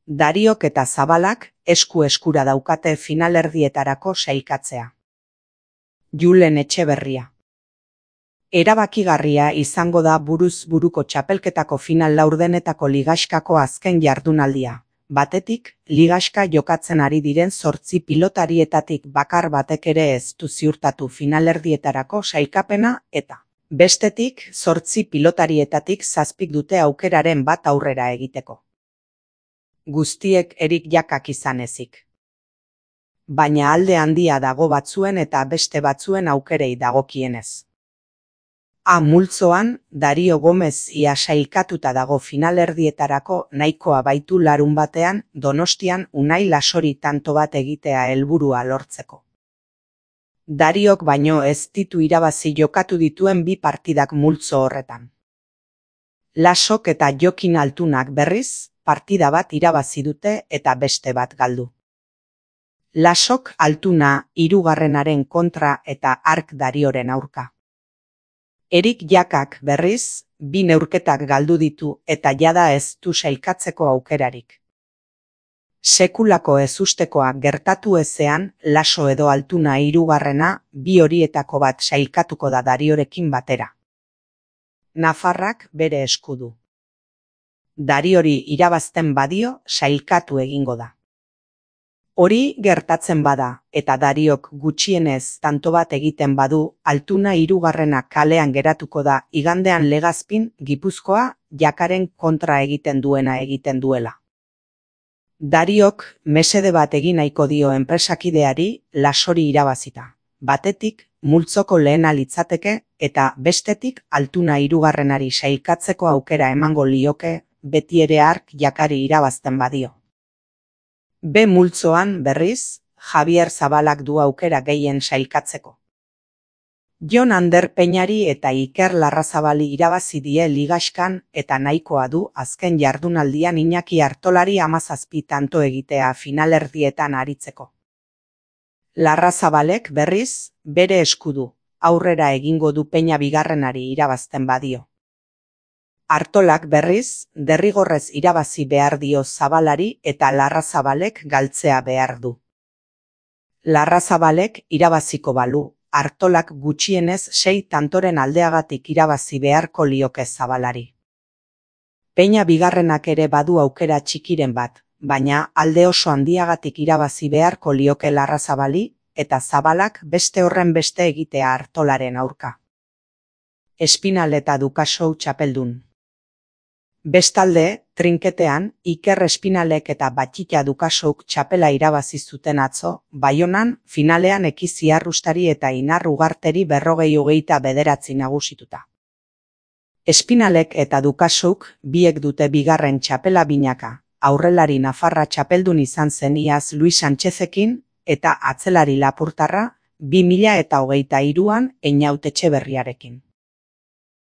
Dariok eta Zabalak esku-eskura daukate finalerdietarako sailkatzea. Julen Etxeberria. Erabakigarria izango da buruz buruko txapelketako final laurdenetako ligaxkako azken jardunaldia. Batetik, ligaxka jokatzen ari diren 8 pilotarietatik bakar batek ere ez du ziurtatu finalerdietarako sailkapena eta, bestetik, 8 pilotarietatik 7 dute aukeraren bat aurrera egiteko. Guztiek Erik Jakak izan ezik. Baina alde handia dago batzuen eta beste batzuen aukerei dagokienez. Multzoan, Dario Gomez ia sailkatuta dago finalerdietarako nahikoa baitu larunbatean Donostian Unai Lasori tanto bat egitea helburua lortzeko. Dariok baino ez ditu irabazi jokatu dituen 2 partidak multzo horretan. Lasok eta Jokin Altunak berriz, partida bat irabazi dute eta beste bat galdu. Lasok Altuna 3. kontra eta Ark Darioren aurka. Erik Jakak berriz, 2 neurketak galdu ditu eta jada ez du sailkatzeko aukerarik. Sekulako ezustekoa gertatu ezean, Laso edo Altuna 3. 2 horietako bat sailkatuko da Dariorekin batera. Nafarrak bere esku du. Dariori irabazten badio, sailkatu egingo da. Hori gertatzen bada, eta Dariok gutxienez tanto bat egiten badu, Altuna 3. kalean geratuko da igandean Legazpin, Gipuzkoa, Jakaren kontra egiten duela. Dariok mesede bat egin nahiko dio enpresakideari Lasori irabazita. Batetik, multzoko lehena litzateke eta bestetik Altuna 3. sailkatzeko aukera emango lioke, beti ere Ark Jakari irabazten badio. B multzoan berriz, Javier Zabalak du aukera gehien sailkatzeko. Jon Ander Peñari eta Iker Larrazabali irabazi die ligaxkan eta nahikoa du azken jardunaldian Iñaki Artolari 17 tanto egitea finalerdietan aritzeko. Larrazabalek berriz, bere esku du, aurrera egingo du Peña 2. irabazten badio. Artolak berriz, derrigorrez irabazi behar dio Zabalari eta Larrazabalek galtzea behar du. Larrazabalek irabaziko balu, Artolak gutxienez 6 tantoren aldeagatik irabazi beharko lioke Zabalari. Peña 2. ere badu aukera txikiren bat, baina alde oso handiagatik irabazi beharko lioke Larrazabali eta Zabalak beste horren beste egitea Artolaren aurka. Espinal eta Dukasou txapeldun. Bestalde, trinketean, Iker Espinalek eta Batxita Dukasouk txapela irabazi zuten atzo, Baionan, finalean Ekizi Arrustari eta Inar Ugarteri 49 nagusituta. Espinalek eta Dukasouk biek dute 2. txapela binaka, aurrelari Nafarra txapeldun izan zen iaz Luis Sánchezekin eta atzelari Lapurtarra 2023an Einaut Etxeberriarekin.